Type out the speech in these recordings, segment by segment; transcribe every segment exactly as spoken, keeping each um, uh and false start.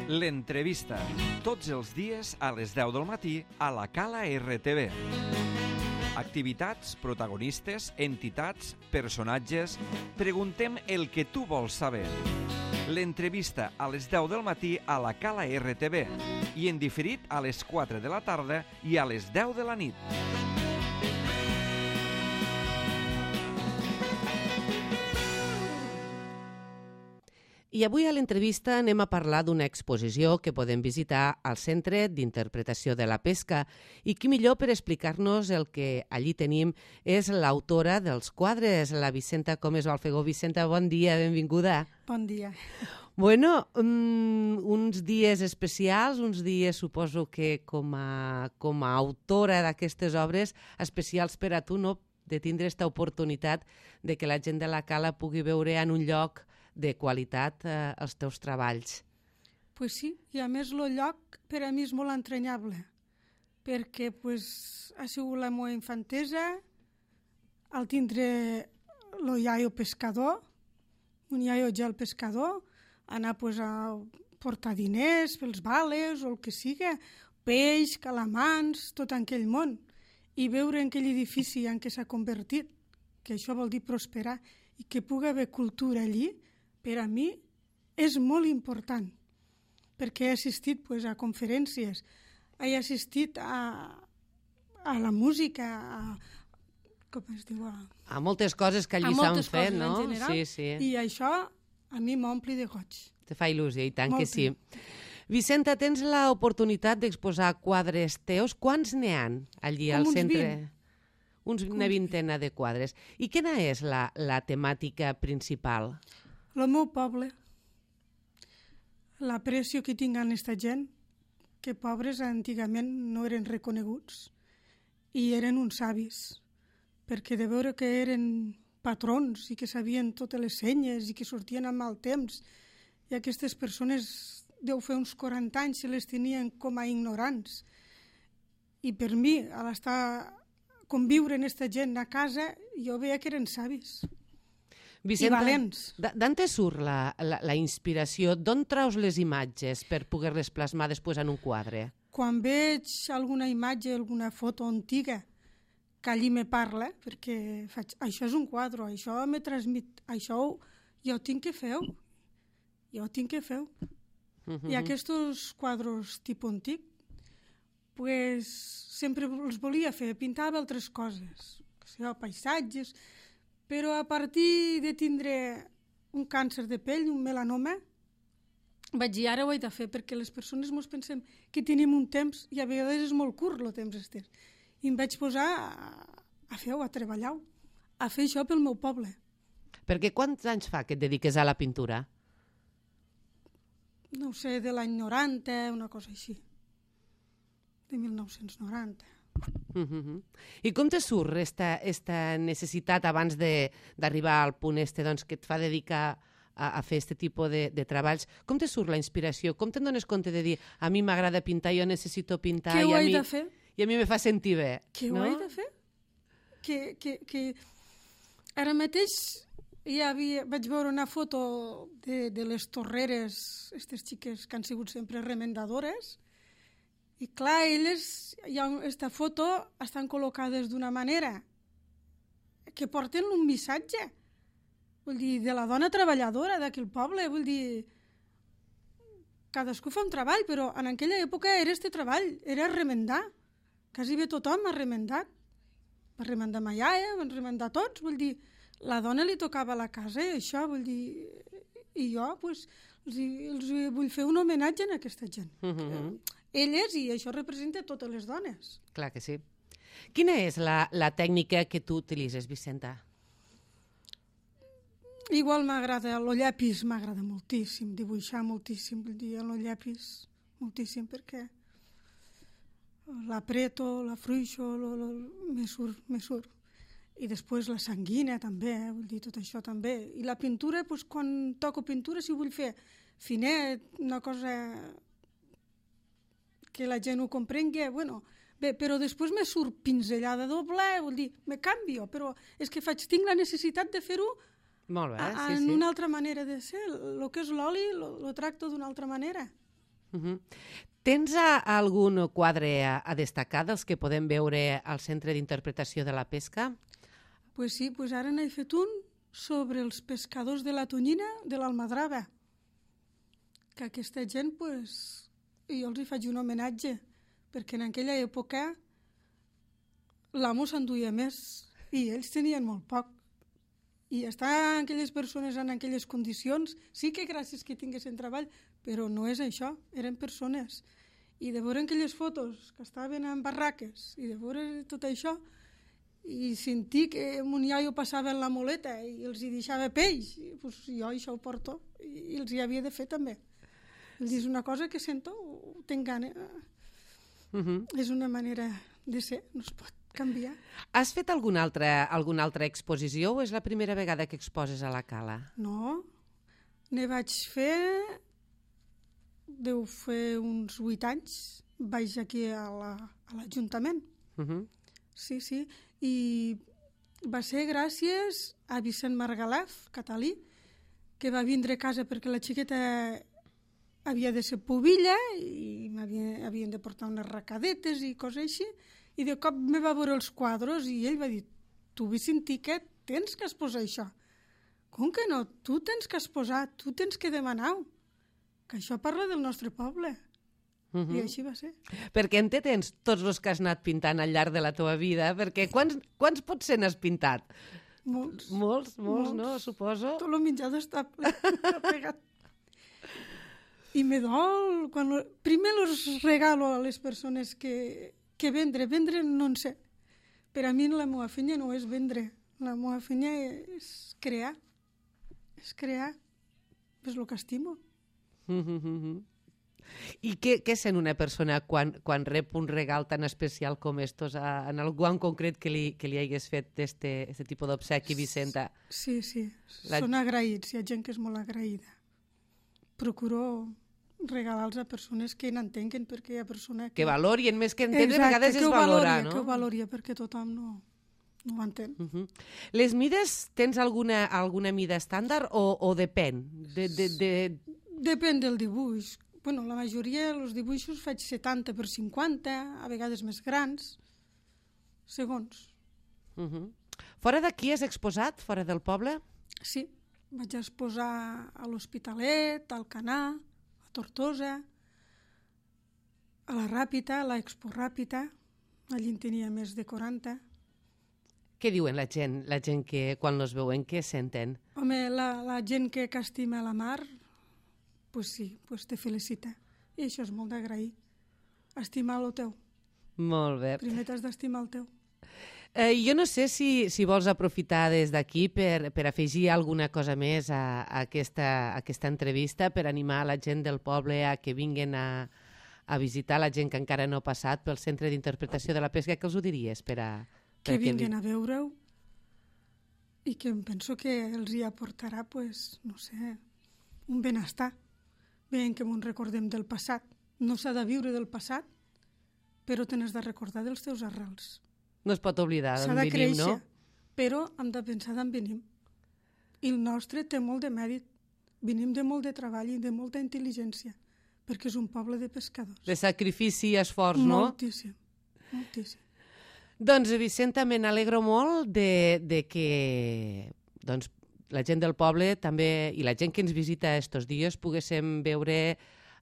L'entrevista, tots els dies a les deu del matí a la Cala R T V. Activitats, protagonistes, entitats, personatges... Preguntem el que tu vols saber. L'entrevista a les deu del matí a la Cala R T V i en diferit a les quatre de la tarda i a les deu de la nit. I avui a l'entrevista anem a parlar d'una exposició que podem visitar al Centre d'Interpretació de la Pesca i qui millor per explicar-nos el que allí tenim és l'autora dels quadres, la Vicenta Comes Balfegó. Vicenta, bon dia, benvinguda. Bon dia. Bueno, um, uns dies especials, uns dies suposo que com a, com a autora d'aquestes obres especials per a tu, no?, de tindre aquesta oportunitat de que la gent de la Cala pugui veure en un lloc de qualitat eh, els teus treballs. Pues sí, i a més el lloc per a mi és molt entranyable, perquè pues, ha sigut la meva infantesa, al tindre el iaio pescador, un iaio ja el pescador, anar pues, a portar diners pels vales o el que siga, peix, calamans, tot en aquell món, i veure en aquell edifici en què s'ha convertit, que això vol dir prosperar, i que pugui haver cultura allí, per a mi és molt important, perquè he assistit pues, a conferències, he assistit a, a la música, a, com es diu? A, a moltes coses que allí s'han fet, no? En general, sí, sí. I això a mi m'ompli de goig. Te fa il·lusió, i tant Molt que sí. Vicenta, tens l'oportunitat d'exposar quadres teus. Quants n'hi ha allí Com al uns centre? vint. Uns, una vintena de quadres. I quina és la, la temàtica principal? El meu poble, l'aprecio que tinc en aquesta gent, que pobres antigament no eren reconeguts i eren uns savis, perquè de veure que eren patrons i que sabien totes les senyes i que sortien amb mal temps, i aquestes persones deu fer uns quaranta anys se les tenien com a ignorants. I per mi, a l'estar conviure en aquesta gent a casa, jo veia que eren savis. Vicenta, i valents. D'on te surt la, la, la inspiració? D'on traus les imatges per poder-les plasmar després en un quadre? Quan veig alguna imatge, alguna foto antiga, que allí me parla, perquè faig, això és un quadre, això me transmit, això jo ho tinc que fer, jo ho tinc que fer. Uh-huh. I aquests quadres tipus antic, pues, sempre els volia fer, pintava altres coses, paisatges, però a partir de tindre un càncer de pell, un melanoma, vaig dir, ara ho he de fer, perquè les persones ens pensem que tenim un temps, i a vegades és molt curt el temps este. I em vaig posar a, a fer-ho, a treballar, a fer això pel meu poble. Perquè quants anys fa que et dediques a la pintura? No sé, de l'any noranta, una cosa així. De mil nou-cents noranta. Uh-huh. I com te surt esta, esta necessitat abans d'arribar al punt este doncs, que et fa dedicar a, a fer aquest tipus de, de treballs? Com te surt la inspiració? Com te'n dones compte de dir a mi m'agrada pintar, jo necessito pintar i a, mi, de fer? i a mi me fa sentir bé? Què no? ho he de fer? Que, que, que... Ara mateix ja havia, vaig veure una foto de, de les torreres, aquestes xiques que han sigut sempre remendadores. I clar, elles, hi ha aquesta foto, estan col·locades d'una manera que porten un missatge. Vull dir, de la dona treballadora d'aquell poble, vull dir, cadascú fa un treball, però en aquella època era este treball, era remendar. Quasi bé tothom ha remendat. Va remendar ma iaia, van remendar tots, vull dir, la dona li tocava a la casa i això, vull dir, i jo, pues, els, els vull fer un homenatge a aquesta gent. Uh-huh. Elles, i això representa totes les dones. Clar que sí. Quina és la, la tècnica que tu utilitzes, Vicenta? Igual m'agrada, el llapis m'agrada moltíssim, dibuixar moltíssim, vull dir, el llapis moltíssim, perquè l'apreto, la fruixo, lo, lo, me surt, me surt. I després la sanguina també, eh? Vull dir, tot això també. I la pintura, doncs, quan toco pintura, si vull fer finet, una cosa que la gent ho comprengui, bueno, bé, però després me surt pinzellada doble, vull dir, me canvio, però és que faig, tinc la necessitat de fer-ho Molt bé, a, sí, en sí. una altra manera de ser. El que és l'oli lo, lo tracto d'una altra manera. Uh-huh. Tens a, algun quadre a, a destacar dels que podem veure al Centre d'Interpretació de la Pesca? Pues sí, pues ara n'he fet un sobre els pescadors de la Tonyina de l'Almadrava. Que aquesta gent, pues, jo els hi faig un homenatge, perquè en aquella època l'amo s'enduia més i ells tenien molt poc. I estar aquelles persones en aquelles condicions, sí que gràcies que tinguessin treball, però no és això, eren persones. I de veure aquelles fotos que estaven en barraques i de veure tot això i sentir que mon iaio passava en la moleta i els hi deixava peix, pues jo això ho porto i els hi havia de fer també. És una cosa que sento, ho tinc gana. Uh-huh. És una manera de ser, no es pot canviar. Has fet alguna altra, alguna altra exposició o és la primera vegada que exposes a la Cala? No, ne vaig fer, deu fer uns vuit anys, vaig aquí a l'Ajuntament. La, uh-huh. Sí, sí, i va ser gràcies a Vicent Margalef, catalí, que va vindre a casa perquè la xiqueta havia de ser pubilla i havien de portar unes racadetes i coses així, i de cop me va veure els quadres i ell va dir, tu Vicentí, què tens que exposar això? Com que no? Tu tens que exposar, tu tens que demanar, que això parla del nostre poble. Uh-huh. I així va ser. Perquè en té tens tots els que has anat pintant al llarg de la teva vida, perquè quants, quants potser n'has pintat? Molts. Molts, molts, molts. No? Suposo. Tot el menjador està pegat. I me dol, quan lo... primer los regalo a les persones que, que vendre. Vendre no en sé. Per a mi la meva feina no és vendre. La meva feina és crear. És crear. És el que estimo. Mm-hmm. I què, què sent una persona quan, quan rep un regal tan especial com estos, a, en algú en concret que li, que li hagués fet este tipus d'obsequi, Vicenta? Sí, sí. La... Són agraïts. Hi ha gent que és molt agraïda. Procuro regalar-los a persones que n'entenguen, perquè hi ha persones que... Que valorien, més que entendre, a vegades és valorar, no? Que ho valoria, perquè tothom no, no ho entén. Uh-huh. Les mides, tens alguna, alguna mida estàndard o, o depèn? De, de, de... Depèn del dibuix. Bueno, la majoria dels dibuixos faig setanta per cinquanta, a vegades més grans, segons. Uh-huh. Fora d'aquí has exposat, fora del poble? Sí. Vaig exposar a l'Hospitalet, al Canà, a Tortosa, a la Ràpita, a l'Expo Ràpita. Allí en tenia més de quaranta. Què diuen la gent, la gent que quan els veuen, què senten? Home, la, la gent que, que estima la mar, pues sí, pues te felicita. I això és molt d'agrair. Estimar el teu. Molt bé. Primer t'has d'estimar el teu. Eh, jo no sé si, si vols aprofitar des d'aquí per, per afegir alguna cosa més a, a, aquesta, a aquesta entrevista, per animar la gent del poble a que vinguin a, a visitar, la gent que encara no ha passat pel Centre d'Interpretació de la Pesca. Què els ho diries? Per a, per que vinguin li... a veure-ho i que em penso que els hi aportarà, pues, no sé, un benestar. Veiem que ens recordem del passat. No s'ha de viure del passat, però te n'has de recordar dels teus arrels. No es pot oblidar d'on venim, créixer, no? Però hem de pensar d'on venim. I el nostre té molt de mèrit. Venim de molt de treball i de molta intel·ligència, perquè és un poble de pescadors. De sacrifici i esforç, no? Moltíssim, moltíssim. Doncs, Vicenta, me n'alegro molt de, de que doncs, la gent del poble també i la gent que ens visita estos dies poguéssim veure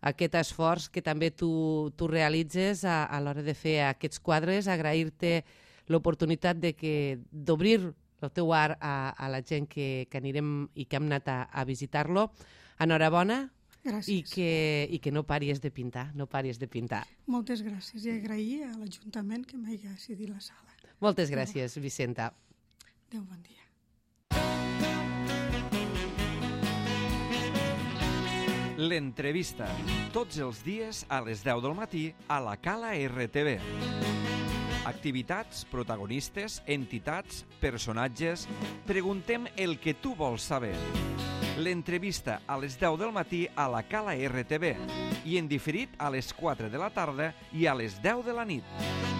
aquest esforç que també tu, tu realitzes a, a l'hora de fer aquests quadres, agrair-te l'oportunitat de que d'obrir el teu art a, a la gent que, que anirem i que hem anat a, a visitar-lo. Enhorabona. Gràcies. I que, i que no paris de pintar, no paris de pintar. Moltes gràcies i agrair a l'Ajuntament que m'hagi cedit la sala. Moltes gràcies, Vicenta. Adéu, bon dia. L'entrevista, tots els dies a les deu del matí a la Cala R T V. Activitats, protagonistes, entitats, personatges... Preguntem el que tu vols saber. L'entrevista a les deu del matí a la Cala R T V i en diferit a les quatre de la tarda i a les deu de la nit.